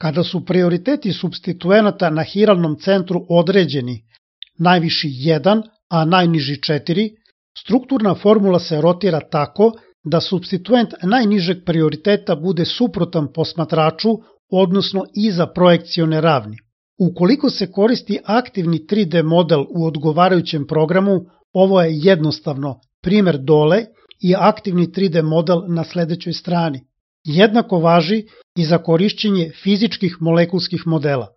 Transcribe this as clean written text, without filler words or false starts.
Kada su prioriteti supstituenata na hiralnom centru određeni, najviši 1, a najniži 4, strukturna formula se rotira tako da supstituent najnižeg prioriteta bude suprotan posmatraču, odnosno iza projekcione ravni. Ukoliko se koristi aktivni 3D model u odgovarajućem programu, ovo je jednostavno primer dole i aktivni 3D model na sledećoj strani. Jednako važi i za korišćenje fizičkih molekulskih modela.